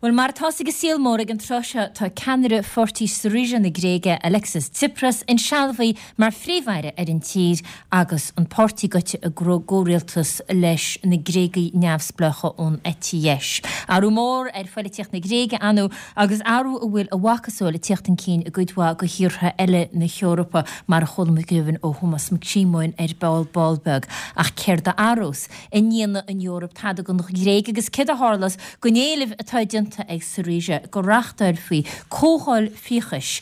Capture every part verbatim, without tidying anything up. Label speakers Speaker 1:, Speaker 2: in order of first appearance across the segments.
Speaker 1: Bhuel, mar atá sa saol mór ag an tráth seo, tá ceannaire pháirtí Syriza na Gréige, Alexis Tsipras, insealbhaithe mar phríomh-aire ar an tír agus an páirtí gaibhte i gcomhrialtas leis na Gréagaigh neamhspleácha ón eite dheis. Athrú mór ar phoilitíocht na Gréige ann agus athrú a bhfuil a mhacasamhail ag tíocht chun cinn i gcuid mhaith de thíortha eile na hEorpa, mar a chuala muid go deimhin ó Thomás Mac Síomóin ar ball ball beag. Ach céard a athrós? An ndéanfaidh an Eoraip tada don Ghréig agus céard a tharlós don éileamh atá déanta ag Syriza go reáchtálfaí comhdháil fiachais,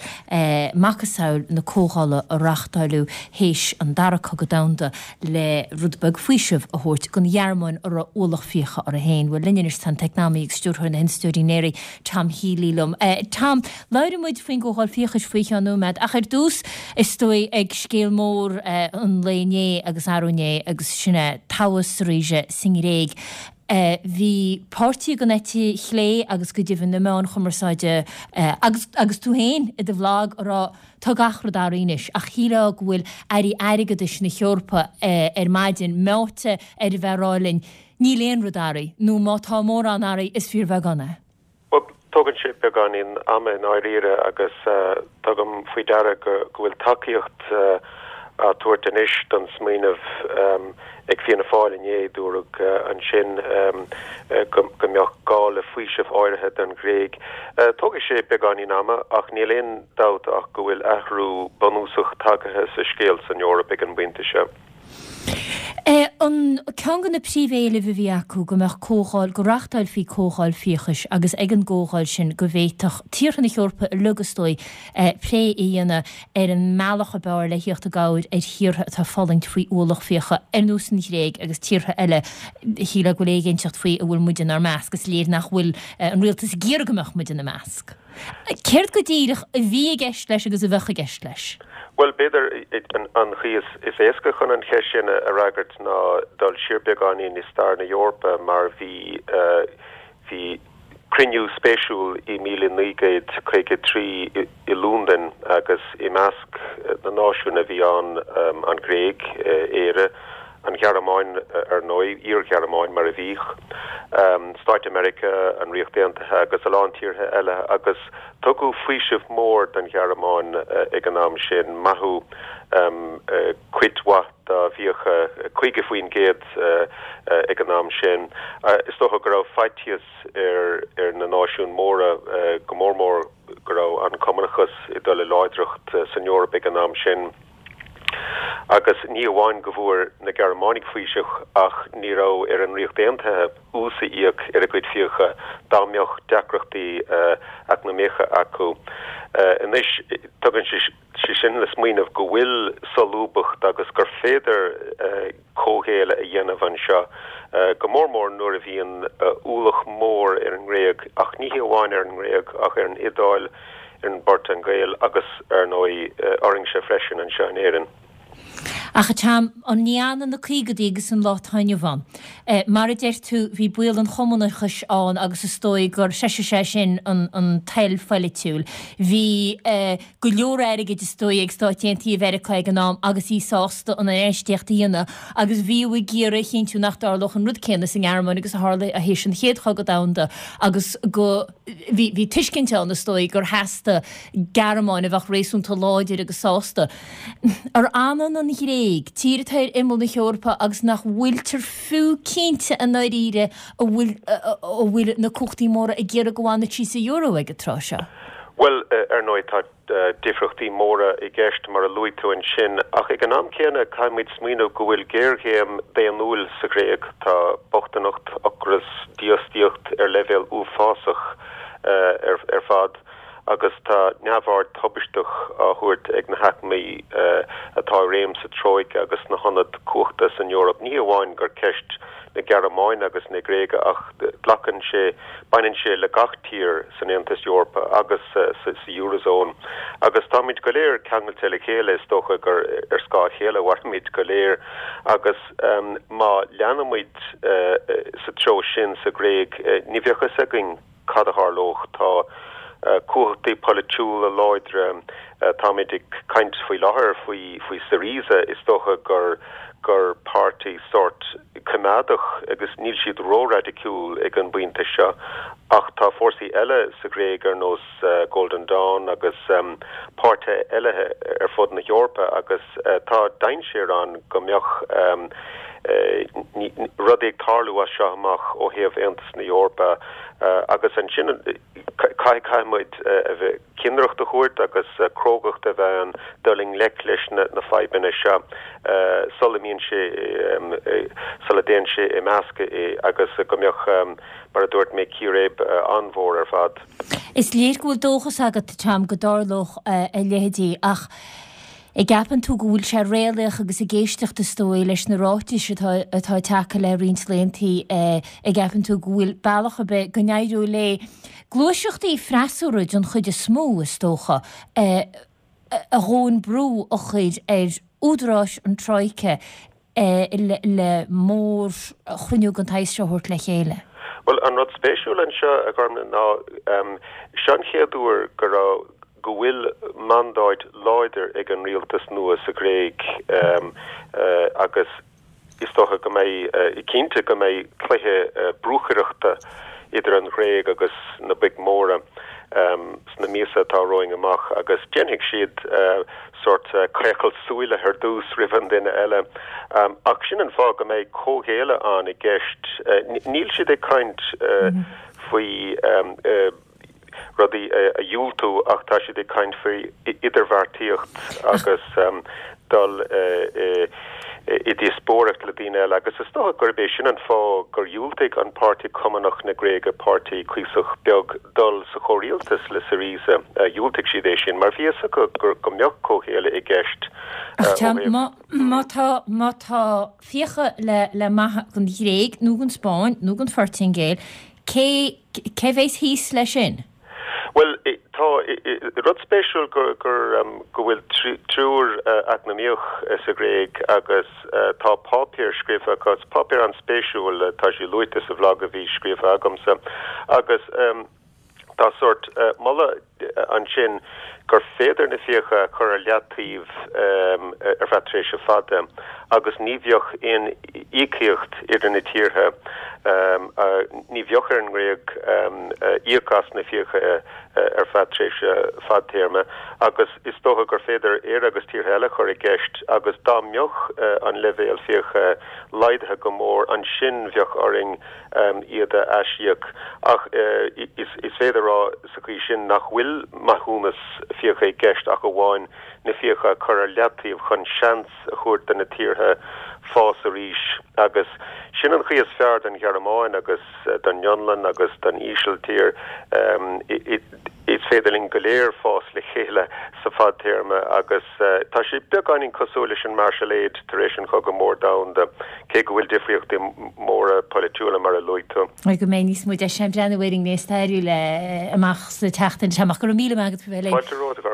Speaker 1: macasamhail na comhdhála a reáchtáileadh théis an Dara Cogadh Domhanda le rud beag faoisimh a thabhairt don Ghearmáin a raibh ualach fiacha uirthi féin. Bhuel, linn anois tá an t-eacnamaí agus stiúrthóir na hInstitiúide NERI, Tom Healy liom. Tom, labhróidh muid faoin gcomhdháil fiachais faoi cheann nóiméad, ach ar dtús, is dóigh ag scéal mór an lae inné agus arú inné agus sin é toghadh Syriza sa nGréig. Bhí páirtithe den eite chlé agus go deimhin na meáin chumarsáide agus agus tú féin i do bhlag ag rá tá gach rud athraithe anois ach shílfeá go bhfuil airí airgeadais na hEorpa ar maidin meáite ar a bheith ag rá linn níl aon rud athraithe nó má tá mórán athraithe is fíorbheagán é.
Speaker 2: Bhuel, tógann sé beagáinín ama i ndáiríre agus tugaim faoi deara go bhfuil tacaíocht á tabhairt anois don smaoineamh ag Fianna Fáil inné, dúradh ansin go mbeadh gá le faoiseamh áirithe don Ghréig. Tógfaidh sé beagáinín ama ach níl aon dabht ach go bhfuil athrú bunúsach tagaithe sa scéal san Eoraip ag an bpointe seo.
Speaker 1: An ceann de na príomhéilimh a bhí acu go mbeadh comhdháil, go reáchtálfaí comhdháil fiachais agus ag an gcomhdháil sin go bhféadfadh tíortha na hEorpa uilig is dóigh plé a dhéanamh ar an mbealach ab fhearr le thíocht i gcabhair ar thíortha atá ag fulaingt faoi ualach fiacha ar nós an Ghréig agus tíortha eile. Shílfeá go bhfuil éiginnteacht faoi an bhfuil muid inár measc. Is léir nach bhfuil an rialtas ag iarraidh go mbeadh muid ina measc. Céard go díreach a bhí i gceist leis agus a bheadh i gceist leis?
Speaker 2: Bhuel, b'fhéidir an chaoi is éasca chun an cheist sin a fhreagairt ná dul siar beagáinín i stair na hEorpa mar bhí bhí cruinniú spéisiúil i míle naoi gcéad caoga trí i Londain agus i measc na náisiún a bhí ann an Ghréig, Éire, an Ghearmáin ar ndóigh, iar-Ghearmáin mar a bhíodh, Stáit Mheiriceá, an Ríocht Aontaithe agus a lán tíortha eile agus tugadh faoiseamh mór don Ghearmáin ag an am sin, maithiú cuid mhaith dá bhfiacha, caoga faoin gcéad ag an am sin. Is dócha go raibh faitíos ar ar na náisiúin mhóra, go mór mór go raibh an cumannachas ag dul i láidreacht san Eoraip ag an am sin. Agus ní amháin go bhfuair na Gearmánaigh faoiseamh ach ní raibh ar an Ríocht Aontaithe ús a íoc ar a gcuid fiacha dá mbeadh deacrachtaí eacnamaíocha acu. Anois, tugann sé sin le smaoineamh go bhfuil solúbthacht agus gur féidir comhghéilleadh a dhéanamh anseo, go mór mór nuair a bhíonn ualach mór ar an nGréig, ach ní hé amháin ar an nGréig ach ar an Iodáil, ar an bPortaingéil agus, ar ndóigh, orainnse freisin anseo in Éirinn.
Speaker 1: Ach a Tom, an ní fhanann na caogaidí agus an lá atá inniu ann? Mar a deir tú, bhí baol an chumannachais ann agus is dóigh gur threisigh sé sin an an toil pholaitiúil. Bhí go leor airgid is dóigh ag Stáit Aontaithe Mheiriceá ag an am agus í sásta an infheistíocht a dhéanamh agus bhíodh ag iarraidh a chinntiú nach dtarlódh an rud céanna sa nGearmáin agus a tharla théis an Chéad Chogadh Domhanda agus go Bhí bhí tuiscint ann, is dóigh, gur theastaigh Gearmáin a bheadh réasúnta láidir agus sásta. Ar fhanann an Ghréig, tír atá ar imeall na hEorpa agus nach bhfuiltear fiú cinnte i ndáiríre an bhfuil an bhfuil na cumhachtaí móra ag iarraidh go bhfanfadh sí sa euro ag an tráth seo?
Speaker 2: Bhuel, ar ndóigh, tá difríochtaí móra i gceist, mar a luaigh tú ansin, ach ag an am céanna caithfimid smaoineamh go bhfuil géarchéim daonnúil sa Ghréig. Tá bochtaineacht, ocras, dífhostaíocht ar leibhéal uafásach ar fad agus tá neamhaird thubaisteach á thabhairt ag na haicmí atá i réim sa Tróice agus sna hionaid cumhachta san Eoraip. Ní hamháin gur ceist na Gearmáine agus na Gréige ach glacann sé, baineann sé le gach tír san Aontas Eorpach agus sa Eurozone. Agus táimid go léir ceangailte le chéile, is dócha gur ar scáth a chéile a mhairimid go léir agus má leanaimid sa treo sin sa Ghréig, ní bheadh fhios againn cad a tharlódh. Tá cumhachtaí polaitiúla láidre, táimid ag caint faoi láthair faoi faoi Syriza, is dócha gur gur páirtí sórt coimeádach agus níl siad ró-raidiciúil ag an bpointe seo ach tá fórsaí eile sa Ghréig ar nós Golden Dawn agus páirtithe eile ar fud na hEorpa agus tá dainséar ann go mbeadh rudaí ag tarlú as seo amach ó thaobh Aontas na hEorpa agus ansin caithfidh caithfimid a bheith cinnireacht a thabhairt agus crógacht a bheith ann dul i ngleic leis na na fadhbanna seo sula mbíonn sé sula dtéann sé i meascadh agus go mbeadh mar a dúirt mé círéib an-mhór ar fad.
Speaker 1: Is léir go bhfuil dóchas agat, Tom, go dtarlódh a leithéidí ach an gceapann tú go bhfuil sé réalaíoch agus ag éisteacht is dóigh leis na ráitis atá atá tagtha le roinnt laethanta an gceapann tú go bhfuil bealach ar bith go n-éireoidh le gluaiseachtaí freasúra den chuid is mó is dócha a dhóthain brú a chur ar údaráis an Troika le mórchruinniú den tsaghas seo a thabhairt le chéile?
Speaker 2: Bhuel, an rud spéisiúil anseo, a Ghormfhlaith, ná seo an chéad uair go raibh go bhfuil mandáid láidir ag an rialtas nua sa Ghréig agus is dócha go mbeidh, cinnte go mbeidh cluiche brúchaireachta idir an Ghréig agus na boic mhóra sna míosa atá romhainn amach agus déanfaidh siad sórt caochailt súile ar dtús roimh an duine eile. Ach sin an fáth go mbeidh comhghéilleadh ann i gceist. Níl siad ag caint faoi rudaí a dhiúltú ach tá siad ag caint faoi idirbheartaíocht agus dul i díospóireacht le daoine eile agus is dócha gurb é sin an fáth gur dhiúltaigh an Páirtí Cumannach na Gréige, páirtí cuíosach beag, dul sa chomhrialtas le Syriza. Dhiúltaigh siad é sin mar bhí fhios acu go mbeadh comhghéilleadh i gceist
Speaker 1: ó thaobh. Má tá, má tá fiacha le le maith don Ghréig nó don Spáinn nó don Phortaingéil, Cé, cé bheas thíos leis sin?
Speaker 2: Bhuel, tá rud spéisiúil gur, gur, go bhfuil triúr eacnamaíoch sa Ghréig agus tá páipéar scríofa acu, is páipéar an-spéisiúil, tá sé luaite sa bhlag a bhí scríofa agamsa agus tá sórt moladh ansin gur féidir na fiacha a chur ar leataobh ar feadh tréimhse fada agus ní bheadh aon íocaíocht idir na tíortha, ní bheadh ar an nGréig íoc as na fiacha ar feadh tréimhse fadtéarma agus is dócha gur féidir Éire agus tíortha eile a chur i gceist agus dá mbeadh an leibhéal fiacha laghdaithe go mór ansin bheadh orainn iad a aisíoc ach is féidir a rá sa chaoi sin nach bhfuil maithiúnas fiacha i gceist ach amháin na fiacha a chur ar leataobh chun seans a thabhairt do na tíortha fás arís agus sin an chaoi is fearr don Ghearmáin agus don Fhionlainn agus don Ísiltír. Is féidir linn go léir fás le chéile sa fadtéarma agus tá sé beagáinín cosúil leis an Marshall Aid tar éis an Chogadh Mór Domhanda, cé go bhfuil difríochtaí móra polaitiúla mar a luaigh tú.
Speaker 1: Go mbeidh níos mó deis againn breathnú ar an ngné stairiúil amach sa tseachtain seo amach. Go raibh míle maith agat faoi bheith linn.
Speaker 2: Fáilte romhat.